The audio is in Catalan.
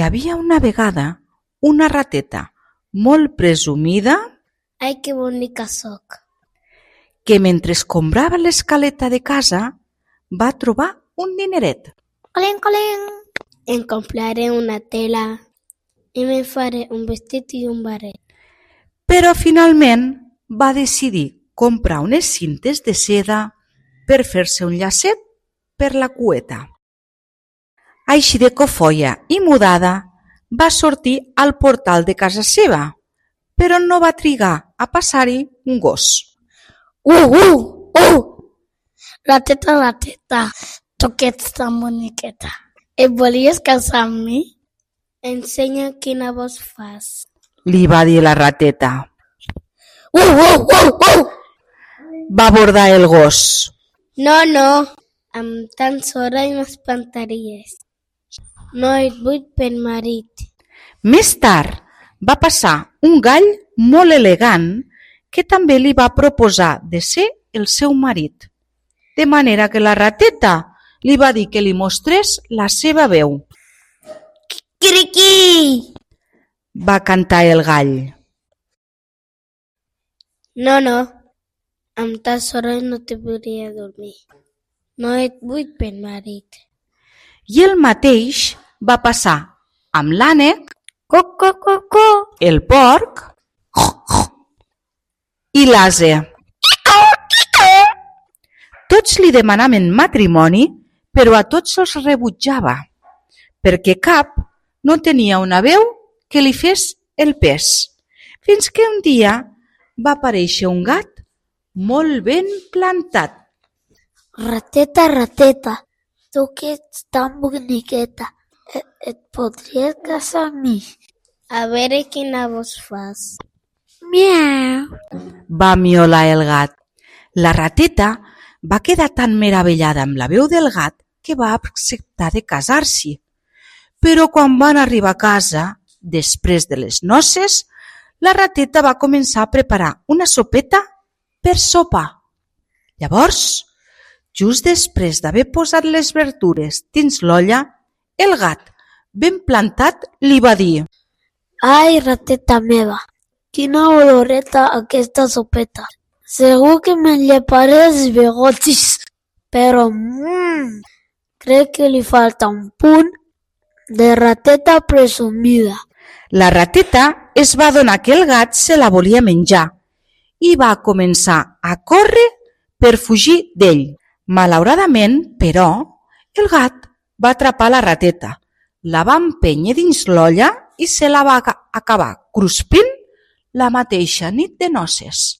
havia una vegada una rateta molt presumida Ai, que bonica soc! que mentre comprava l'escaleta de casa va trobar un dineret. Colin, colin! Em compraré una tela i me faré un vestit i un barret. Però finalment va decidir comprar unes cintes de seda per fer-se un llacet per la cueta. Així de cofoia i mudada va sortir al portal de casa seva, però no va trigar a passar-hi un gos. Rateta, rateta, tu que ets tan boniqueta. Et volies casar amb mi? Ensenya quina voz fas. Li va dir la rateta. Va abordar el gos. No, amb tan sora i m'espantaries. No et vull per marit. Més tard va passar un gall molt elegant que també li va proposar de ser el seu marit. De manera que la rateta li va dir que li mostrés la seva veu. Criqui! Va cantar el gall. No, amb tan sora no te podria dormir. No et vull per marit. I el mateix va passar amb l'ànec, el porc i l'ase. Tots li demanaven matrimoni, però a tots els rebutjava, perquè cap no tenia una veu que li fes el pes. Fins que un dia va aparèixer un gat molt ben plantat. Rateta, rateta, tu que ets tan boniqueta, et podries casar amb mi? A veure quina voz fas. Miau. Va miolar el gat. La rateta va quedar tan meravellada amb la veu del gat que va acceptar de casar-s'hi. Però quan van arribar a casa, després de les noces, la rateta va començar a preparar una sopeta per sopar. Llavors, just després d'haver posat les verdures dins l'olla, el gat, ben plantat, li va dir: Ai, rateta meva, quina oloreta aquesta sopeta. Segur que me'n lleparé els bigotis, però crec que li falta un punt de rateta presumida. La rateta es va adonar que el gat se la volia menjar i va començar a córrer per fugir d'ell. Malauradament, però, el gat va atrapar la rateta, la va empènyer dins l'olla i se la va acabar cruspint la mateixa nit de noces.